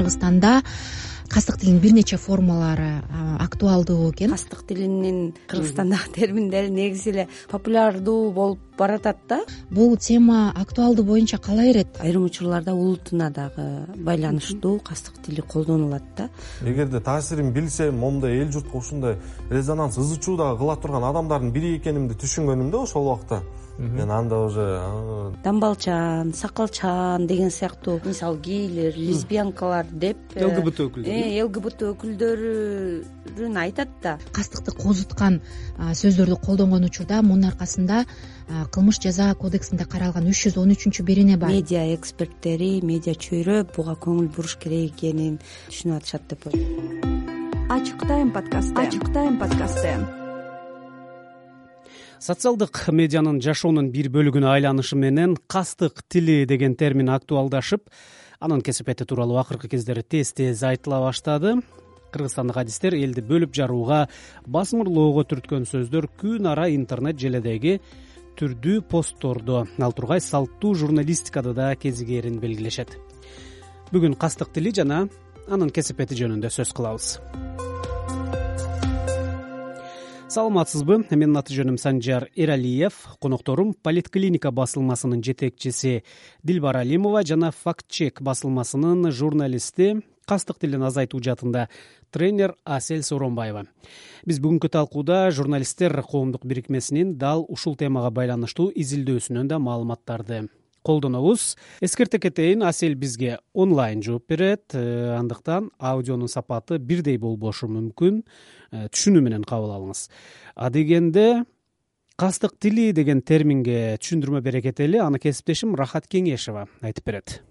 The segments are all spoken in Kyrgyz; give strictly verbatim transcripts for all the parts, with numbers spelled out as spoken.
Кыргызстанда кастык тилинин бир нече формалары актуалдуу экен. Кастык тилинин Кыргызстандагы терминдери негизи эле популярдуу болуп баратат да. Бул тема актуалдуу боюнча кала берет. Айрым учурларда улутуна дагы байланыштуу кастык тили колдонулат да. Эгерде таасирин билсем, момундай эл журтка ушундай резонанс ызы чуу дагы кыла турган адамдардын бири экенимди түшүнгөнүмдө ошол убакта мен анда уже дамбалчан, сакалчан деген сыяктуу мисалы гейлер, лесбиянкалар деп ЛГБТ өкүлдөрү ЛГБТ өкүлдөрүн айтат да. Кастыкты козуткан сөздөрдү колдонгон учурда мунун аркасында кылмыш жаза кодексинде каралган үч жүз он үчүнчү берене бар. Медиа эксперттери, медиа чөйрө буга көңүл буруш керек экенин түшүнүп атышат деп ойлойм. Ачык тайм подкасты. Ачык тайм подкасты. Социалдык медианын жашоонун бир бөлүгүнө айланышы менен кастык тили деген термин актуалдашып, анын кесипети тууралуу акыркы кездери тез-тез айтыла баштады. Кыргызстандык адистер элди бөлүп жарууга, басмырлоого түрткөн сөздөр күн ара интернет желедеги түрдүү посттордо, ал тургай салттуу журналистикада да кезигээрин белгилешет. Бүгүн кастык тили жана анын кесипети жөнүндө сөз кылабыз. Саламатсызбы? Менин аты жөнүм Санжар Эралиев, конокторум Политклиника басылмасынын жетекчиси Дилбар Алимова жана Фактчек басылмасынын журналисти, кастык тилин азайтуу жаатында тренер Асель Сооронбаева. Биз бүгүнкү талкууда журналисттер коомдук бирикмесинин дал ушул темага байланыштуу изилдөөсүнөн да маалыматтарды колдонобуз. Эскерте кетейин, Асель бизге онлайн жооп берет, андыктан аудионун сапаты бирдей болбошу мүмкүн, түшүнүү менен кабыл алыңыз. А дегенде кастык тили деген терминге түшүндүрмө бере кетели, аны кесиптешим Рахат Кеңешева айтып берет.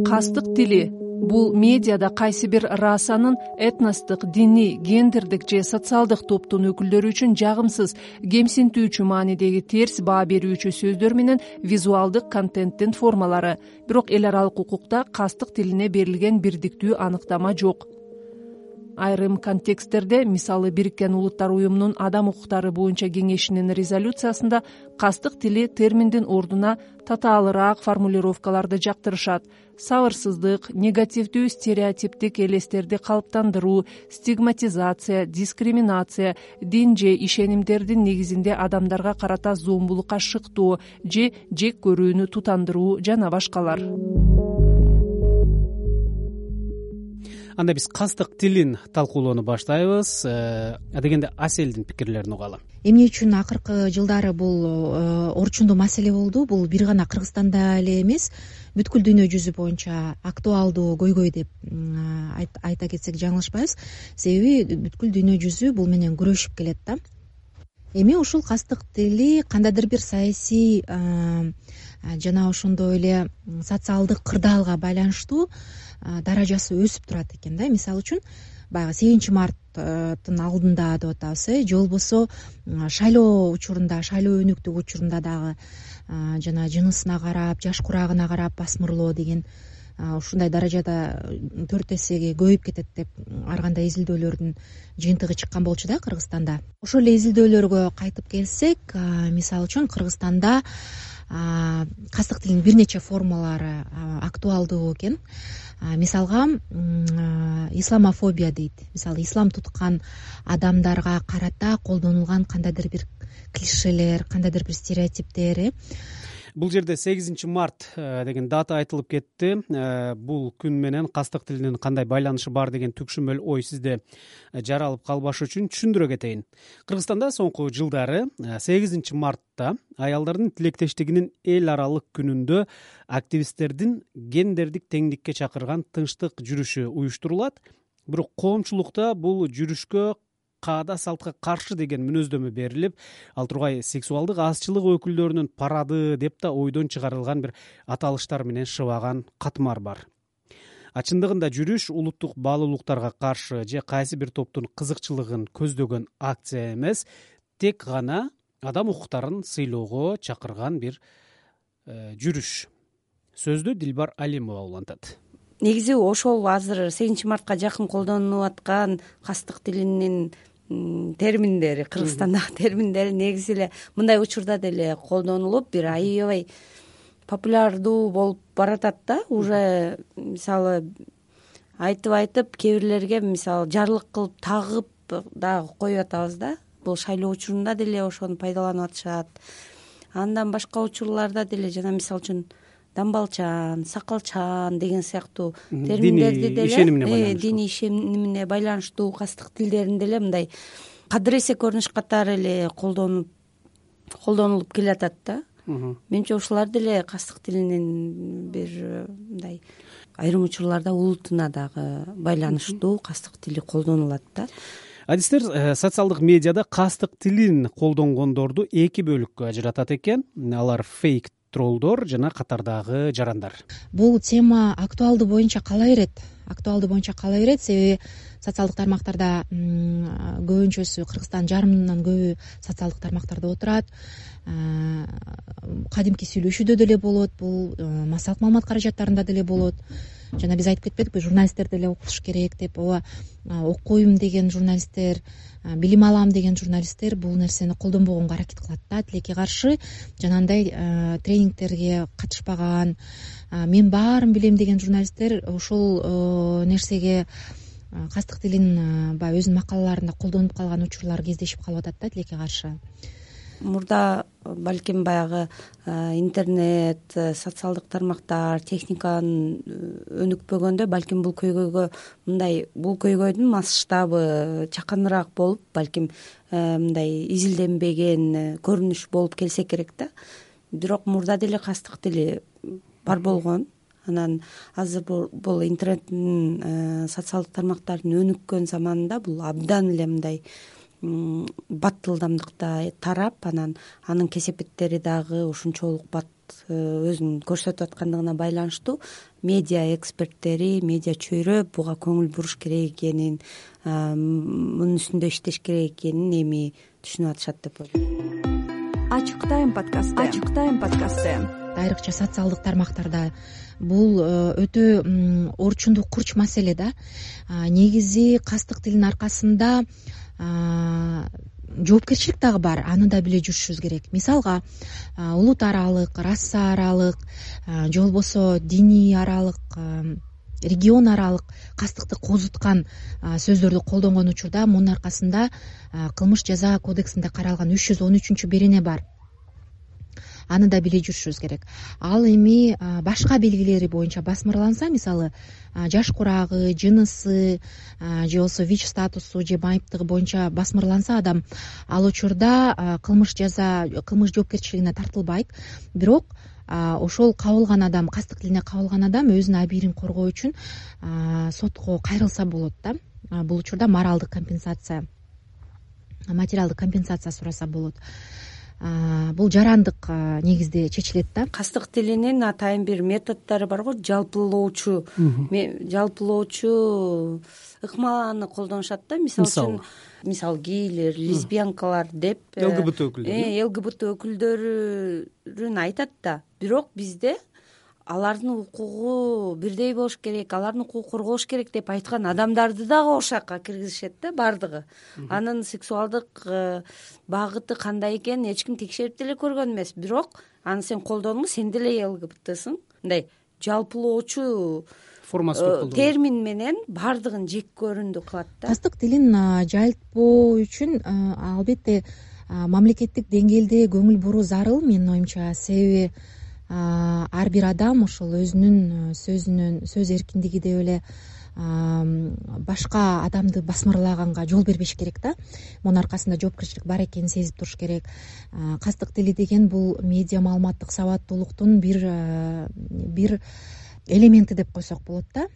Кастык тили бул медиада кайсы бир расанын этностук, диний, гендердик же социалдык топтун өкүлдөрү үчүн жагымсыз, кемсинтүүчү маанидеги терс баа берүүчү сөздөр менен визуалдык контенттин формалары. Бирок эл аралык укукта кастык тилине берилген бирдиктүү аныктама жок. Айрым контексттерде, мисалы Бириккен Улуттар уюмунун адам укуктары боюнча кеңешинин резолюциясында кастык тили терминдин ордуна татаалыраак формулировкаларды жактырышат. Сабырсыздык, негативдүү стереотиптик элестерди калыптандыруу, стигматизация, дискриминация, дин же ишенимдердин негизинде адамдарга карата зомбулукка шыктоо же жек көрүүнү тутандыруу жана башкалар. Анда биз кастык тилин талкуулоону баштайбыз. А дегенде Аселдин пикирлерин угалы. Эмне үчүн акыркы жылдары бул орчундуу маселе болду? Бул бир гана Кыргызстанда эле эмес, бүткүл дүйнө жүзү боюнча актуалдуу көйгөй деп айта кетсек жаңылышпайбыз. Себеби бүткүл дүйнө жүзү бул менен күрөшүп келет да. Эми ушул кастык тили кандайдыр бир саясий жана ошондой эле социалдык кырдаалга байланыштуу даражасы өсүп турат экен да. Мисалы үчүн баягы сегизинчи марттын алдында деп атабыз, э же болбосо шайлоо учурунда, шайлоо өнүктүк учурунда дагы жана жынысына карап, жаш курагына карап басмырлоо деген ушундай даражада төрт эсеге көбөйүп кетет деп ар кандай изилдөөлөрдүн жыйынтыгы чыккан болчу да Кыргызстанда. Ошол эле изилдөөлөргө кайтып келсек, мисалы үчүн Кыргызстанда кастык тилинин бир нече формалары актуалдуу экен. Мисалга исламофобия дейт. Мисалы ислам туткан адамдарга карата колдонулган кандайдыр бир клишелер, кандайдыр бир стереотиптер. Бул жерде сегизинчи март деген дата айтылып кетти. Бул күн менен кастык тилинин кандай байланышы бар деген түкшүмөл ой сизде жаралып калбашы үчүн түшүндүрө кетейин. Кыргызстанда соңку жылдары сегизинчи мартта аялдардын тилектештигинин эл аралык күнүндө активисттердин гендердик теңдикке чакырган тынчтык жүрүшү уюштурулат. Бирок коомчулукта бул жүрүшкө каада салтка каршы деген мүнөздөмө берилип, ал тургай сексуалдык азчылык өкүлдөрүнүн парады деп да ойдон чыгарылган бир аталыштар менен шыбаган катмар бар. А чындыгында жүрүш улуттук баалуулуктарга каршы же кайсы бир топтун кызыкчылыгын көздөгөн акция эмес, тек гана адам укуктарын сыйлоого чакырган бир жүрүш. Сөздү Дилбар Алимова улантат. Негизи ошол азыр сегизинчи мартка жакын колдонулуп аткан кастык тилинин терминдери, Кыргызстандагы терминдери негизи эле мындай учурда деле колдонулуп, бир аябай популярдуу болуп баратат да. Уже мисалы айтып айтып кээ бирлерге мисалы жарлык кылып тагып дагы коюп атабыз да. Бул шайлоо учурунда деле ошону пайдаланып атышат. Андан башка учурларда деле жана мисалы үчүн дамбалчан, сакалчан деген сыяктуу терминдерди деле диний ишенимине байланыштуу кастык тилдерин деле мындай кадыр эсе көрүнүш катары эле колдонуп колдонулуп келатат да. Менимче ушулар деле кастык тилинин бир мындай айрым учурларда улутуна дагы байланыштуу кастык тили колдонулат да. Адистер социалдык медиада кастык тилин колдонгондорду эки бөлүккө ажыратат экен. Алар фейк троллдор жана катардагы жарандар. Бул тема актуалдуу боюнча кала берет. Актуалдуу боюнча кала берет, себеби социалдык тармактарда көбүнчөсү Кыргызстандын жарымынан көбү социалдык тармактарда отурат. Кадимки сүйлөшүүдө деле болот, бул массалык маалымат каражаттарында деле болот. Жана биз айтып кетпедикпи, журналисттер деле окуш керек деп. Ооба, окуйм деген журналисттер, билим алам деген журналисттер бул нерсени колдонбогонго аракет кылат да. Тилекке каршы жанагындай тренингтерге катышпаган, мен баарын билем деген журналисттер ушул нерсеге кастык тилин баягы өзүнүн макалаларында колдонуп калган учурлар кездешип калып атат да, тилекке каршы. Мурда балким баягы интернет, социалдык тармактар, техниканын өнүкпөгөндө балким бул көйгөйгө мындай бул көйгөйдүн масштабы чаканыраак болуп, балким мындай изилденбеген көрүнүш болуп келсе керек да. Бирок мурда деле кастык тили бар болгон. Анан азыр бул интернеттин социалдык тармактардын өнүккөн заманында бул абдан эле мындай баттылдамдыкта тарап, анан анын кесепеттери дагы ушунчолук бат өзүн көрсөтүп аткандыгына байланыштуу медиа эксперттери, медиа чөйрө буга көңүл буруш керек экенин, мунун үстүндө иштеш керек экенин эми түшүнүп атышат деп ойлойм. Ачык тайм подкасты. Ачык тайм подкасты. Айрыкча социалдык тармактарда бул өтө орчундуу курч маселе да. Негизи кастык тилдин аркасында жоопкерчилик дагы бар, аны да биле жүрүшүбүз керек. Мисалга, улут аралык, раса аралык, же болбосо диний аралык, регион аралык кастыкты козуткан сөздөрдү колдонгон учурда мунун аркасында кылмыш жаза кодексинде каралган үч жүз он үчүнчү берене бар. Аны да биле жүрүшүбүз керек. Ал эми башка белгилери боюнча басмырланса, мисалы жаш курагы, жынысы, же болбосо вич статусу же майыптыгы боюнча басмырланса адам, ал учурда кылмыш жаза, кылмыш жоопкерчилигине тартылбайт. Бирок ошол кабылган адам, кастык тилине кабылган адам өзүнүн абийирин коргоо үчүн сотко кайрылса болот да. Бул учурда моралдык компенсация, материалдык компенсация сураса болот. Бул жарандык негизде чечилет да. Кастык тилинин атайын бир методдору бар го, жалпылоочу жалпылоочу ыкмаланы колдонушат да. Мисалы үчүн, мисалы гейлер, лесбиянкалар деп ЛГБТ өкүлдөрү ЛГБТ өкүлдөрүн айтат да. Бирок бизде алардын укугу бирдей болуш керек, алардын укугу корголуш керек деп айткан адамдарды дагы ошакка киргизишет да, бардыгы. Анын сексуалдык багыты кандай экенин эч ким текшерип деле көргөн эмес. Бирок аны сен колдондуң, сен деле ЛГБТсың. Мындай жалпылоочу формасы термин менен бардыгын жек көрүндү кылат да. Кастык тилин жайылтпоо үчүн албетте мамлекеттик деңгээлде көңүл буруу зарыл, менин оюмча. Себеби ар бир адам ошол өзүнүн сөзүнүн сөз эркиндиги деп эле башка адамды басмырлаганга жол бербеш керек да. Мунун аркасында жоопкерчилик бар экенин сезип туруш керек. Кастык тили деген бул медиа маалыматтык сабаттуулуктун бир бир элементи деп койсок болот да.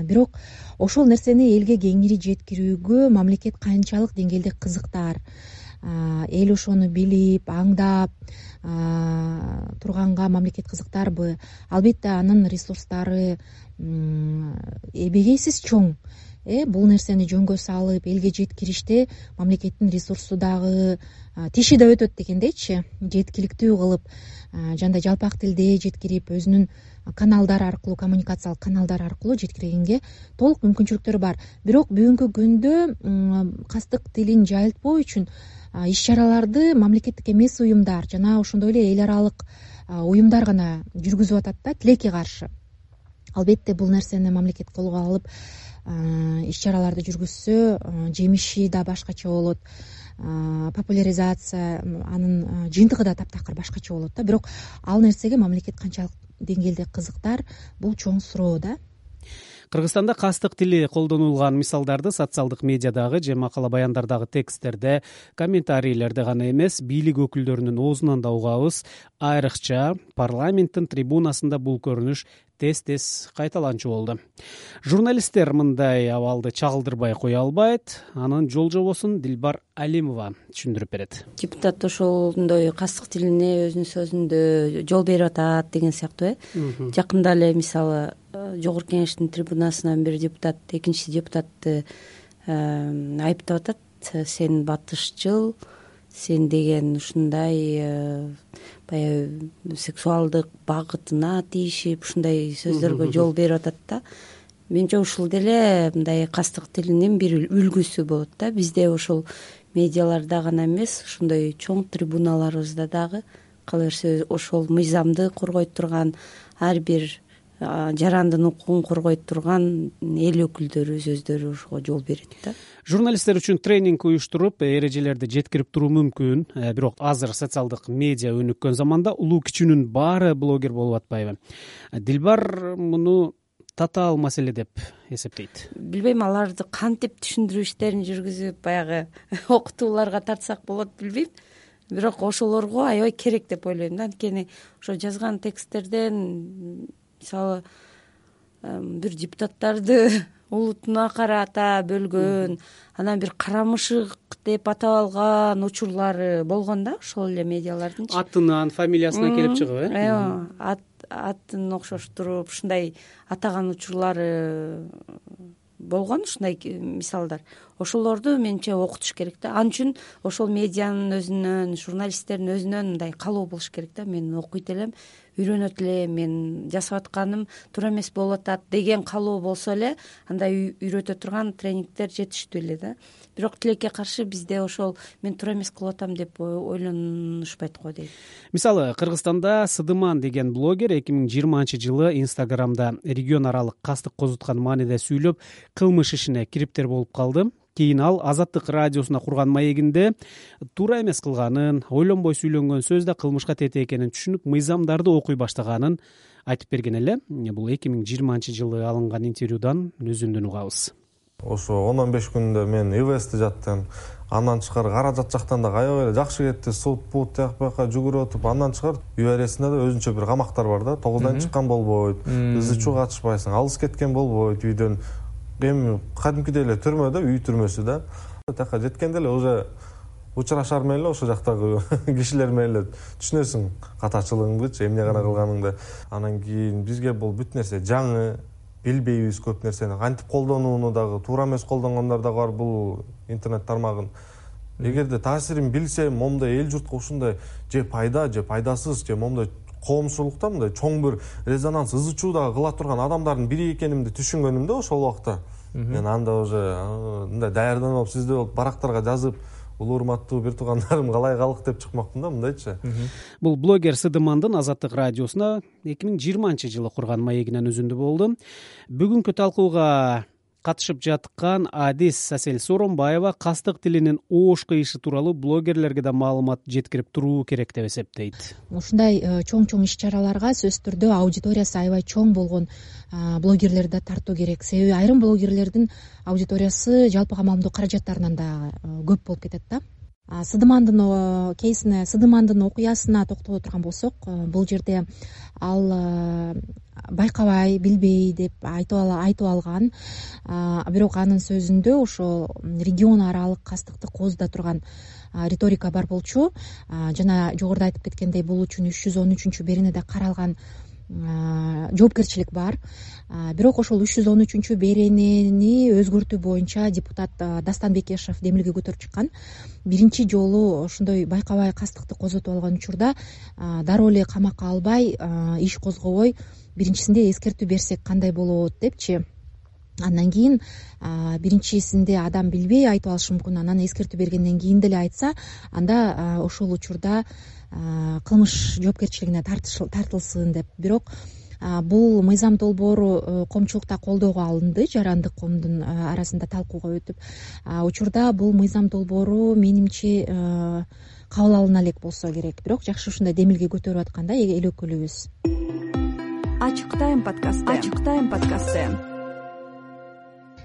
Бирок ошол нерсени элге кеңири жеткирүүгө мамлекет канчалык деңгээлде кызыктар, эл ошону билип, аңдап турганга мамлекет кызыктарбы? Албетте анын ресурстары эбегейсиз чоң. Э бул нерсени жөнгө салып элге жеткириште мамлекеттин ресурсу дагы тиши да өтөт дегендейчи, жеткиликтүү кылып, жандай жалпак тилде жеткирип, өзүнүн каналдар аркылуу, коммуникациялык каналдар аркылуу жеткиргенге толук мүмкүнчүлүктөрү бар. Бирок бүгүнкү күндө кастык тилин жайылтпоо үчүн иш чараларды мамлекеттик эмес уюмдар жана ошондой эле эл аралык уюмдар гана жүргүзүп атат да, тилекке каршы. Албетте бул нерсени мамлекет колго алып иш чараларды жүргүзсө жемиши да башкача болот, популяризация анын жыйынтыгы да таптакыр башкача болот да. Бирок ал нерсеге мамлекет канчалык деңгээлде кызыктар, бул чоң суроо да. Кыргызстанда кастык тили колдонулган мисалдарды социалдык медиадагы же макала баяндардагы тексттерде, комментарийлерде гана эмес, бийлик өкүлдөрүнүн оозунан да угабыз. Айрыкча парламенттин трибунасында бул көрүнүш тез-тез кайталанчу болду. Журналисттер мындай абалды чагылдырбай кое албайт. Анын жол жобосун Дилбар Алимова түшүндүрүп берет. Депутат ошондой кастык тилине өзүнүн сөзүндө жол берип атат деген сыяктуу э. Жакында эле мисалы Жогорку Кеңештин трибунасынан бир депутат экинчи депутатты айыптап атат. Сен батышчыл, сен деген ушундай баягы сексуалдык багытына тийишип ушундай сөздөргө жол берип атат да. Менимче ушул деле мындай кастык тилинин бир үлгүсү болот да. Бизде ошол медиаларда гана эмес, ушундай чоң трибуналарыбызда дагы кала берсе ошол мыйзамды коргойт турган, ар бир жарандын укугун коргойт турган эл өкүлдөрүбүз өздөрү ошого жол берет да. Журналисттер үчүн тренинг уюштуруп, эрежелерди жеткирип туруу мүмкүн. Бирок азыр социалдык медиа өнүккөн заманда улуу кичүүнүн баары блогер болуп атпайбы? Дилбар муну татаал маселе деп эсептейт. Билбейм, аларды кантип түшүндүрүү иштерин жүргүзүп баягы окутууларга тартсак болот, билбейм. Бирок ошолорго аябай керек деп ойлойм да. Анткени ошо жазган тексттерден мисалы бир депутаттарды улутуна карата бөлгөн, анан бир карамышык деп атап алган учурлары болгон да, ошол эле медиалардын. Атынан, фамилиясынан келип чыгып, э? Ооба, атын окшоштуруп ушундай атаган учурлары болгон, ушундай мисалдар. Ошолорду менимче окутуш керек да. Ал үчүн ошол медианын өзүнөн, журналисттердин өзүнөн мындай каалоо болуш керек да. Мен окуйт элем, үйрөнөт элем, мен жасап атканым туура эмес болуп атат деген каалоо болсо эле андай үйрөтө турган тренингдер жетиштүү эле да. Бирок тилекке каршы бизде ошол мен туура эмес кылып атам деп ойлонушпайт го дейм. Мисалы, Кыргызстанда Сыдыман деген блогер эки миң жыйырманчы жылы Инстаграмда регион аралык кастык козуткан мааниде сүйлөп, кылмыш ишине кириптер болуп калды. Кийин ал Азаттык радиосуна курган маегинде туура эмес кылганын, ойлонбой сүйлөнгөн сөз да кылмышка тете экенин түшүнүп, мыйзамдарды окуй баштаганын айтып берген эле. Бул эки миң жыйырманчы жылы алынган интервьюдан өзүндөн угабыз. Ошо он он беш күндө мен ИВСти жаттым. Андан тышкары каражат жактан да аябай эле жакшы кетти. Суд бут тияк бияка жүгүрүп өтүп, андан тышкары ЮАРСинде да өзүнчө бир камактар бар да. тогуздан чыккан болбойт, ызы чуу катышпайсың, алыс кеткен болбойт үйдөн. Эми кадимкидей эле түрмөдө, үй түрмөсү да. Тияка жеткенде эле уже учурашар менен эле ошол жактагы кишилер менен эле түшүнөсүң катачылыгыңдычы, эмне гана кылганыңды. Анан кийин бизге бул бүт нерсе жаңы, билбейбиз көп нерсени. Кантип колдонууну дагы, туура эмес колдонгондор дагы бар бул интернет тармагын. Эгерде таасирин билсе, момундай эл журтка ушундай же пайда, же пайдасыз, же момундай коомчулукта мындай чоң бир резонанс, ызы чуу дагы кыла турган адамдардын бири экенимди түшүнгөнүмдө ошол убакта. Мен анда уже мындай даярданып, сизде болуп барактарга жазып, улуу урматтуу бир туугандарым калай калык деп чыкмакмын да, мындайчы. Бул блогер Сыдымандын Азаттык радиосуна эки миң жыйырманчы жылы курган маегинен өзүндө болду. Бүгүнкү талкууга катышып жаткан Адис Асель Соронбаева кастык тилинин оош кыйышы тууралуу блогерлерге да маалымат жеткирип туруу керек деп эсептейт. Ушундай чоң-чоң иш-чараларга сөзсүз түрдө аудиториясы аябай чоң болгон блогерлерди да тартуу керек. Себеби айрым блогерлердин аудиториясы жалпыга маалымдоо каражаттарынан да көп болуп кетет да. Сыдымандын кейсине, Сыдымандын окуясына токтоло турган болсок, бул жерде ал байкабай, билбей деп айтып алган. Бирок анын сөзүндө ошо регион аралык кастыкты козуда турган риторика бар болчу. Жана жогоруда айтып кеткендей, бул үчүн үч жүз он үчүнчү беренеде каралган жоопкерчилик бар. Бирок ошол үч жүз он үчүнчү беренени өзгөртүү боюнча депутат Дастан Бекешев демилге көтөрүп чыккан. Биринчи жолу ошондой байкабай кастыкты козотуп алган учурда дароо эле камакка албай, иш козгобой, биринчисинде эскертүү берсек кандай болот депчи. Андан кийин биринчисинде адам билбей айтып алышы мүмкүн. Анан эскертүү бергенден кийин деле айтса, анда ошол учурда кылмыш жоопкерчилигине тартылсын деп. Бирок бул мыйзам долбоору коомчулукта колдоого алынды, жарандык коомдун арасында талкууга өтүп. Учурда бул мыйзам долбоору менимче кабыл алына элек болсо керек, бирок жакшы ушундай демилге көтөрүп аткан да эл өкүлүбүз. Ачык тайм подкасты. Ачык тайм подкасты.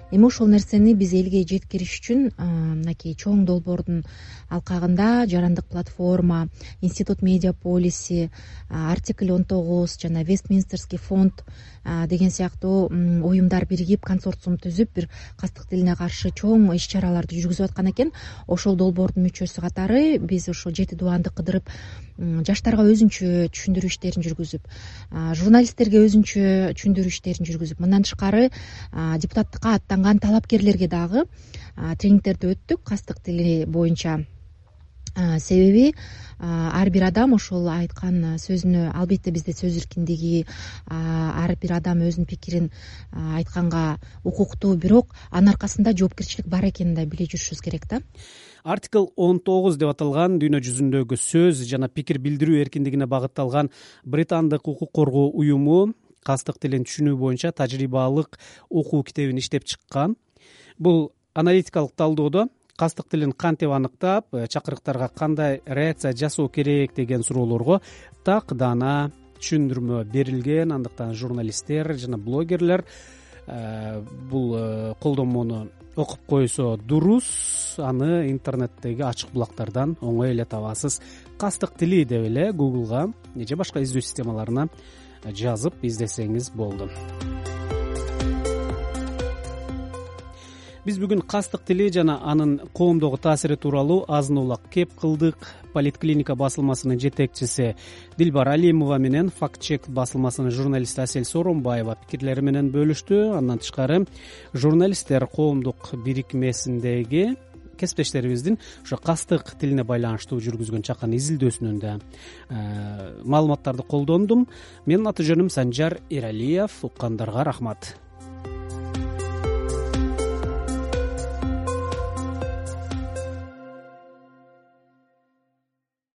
Эми ошол нерсени биз элге жеткириш үчүн мынакей чоң долбоордун алкагында жарандык платформа, Институт медиа полиси, артикль он тогуз жана Вестминстерский фонд деген сыяктуу уюмдар биригип консорциум түзүп бир кастык тилине каршы чоң иш чараларды жүргүзүп аткан экен. Ошол долбоордун мүчөсү катары биз ошо жети дубанды кыдырып жаштарга өзүнчө түшүндүрүү иштерин жүргүзүп, журналисттерге өзүнчө түшүндүрүү иштерин жүргүзүп, мындан тышкары депутаттыкка аттанган талапкерлерге дагы тренингтерди өттүк кастык тили боюнча. Себеби ар бир адам ошол айткан сөзүнө, албетте бизде сөз эркиндиги, ар бир адам өзүнүн пикирин айтканга укуктуу, бирок анын аркасында жоопкерчилик бар экенин да биле жүрүшүбүз керек да. Артикл он тогуз деп аталган дүйнө жүзүндөгү сөз жана пикир билдирүү эркиндигине багытталган британдык укук коргоо уюму кастык тилин түшүнүү боюнча тажрыйбалык окуу китебин иштеп чыккан. Бул аналитикалык талдоодо кастык тилин кантип аныктап, чакырыктарга кандай реакция жасоо керек деген суроолорго так даана түшүндүрмө берилген. Андыктан журналисттер жана блогерлер бул колдонмону окуп койсо дурус. Аны интернеттеги ачык булактардан оңой эле табасыз. Кастык тили деп эле Google'га же башка издөө системаларына жазып издесеңиз болду. Биз бүгүн кастык тили жана анын коомдогу таасири тууралуу азын улак кеп кылдык. Политклиника басылмасынын жетекчиси Дилбар Алимова менен Факт чек басылмасынын журналисти Асель Сооронбаева пикирлери менен бөлүштү. Андан тышкары журналисттер коомдук бирикмесиндеги кесиптештерибиздин ошо кастык тилине байланыштуу жүргүзгөн чакан изилдөөсүнөн да маалыматтарды колдондум. Менин аты жөнүм Санжар Эралиев. Уккандарга рахмат.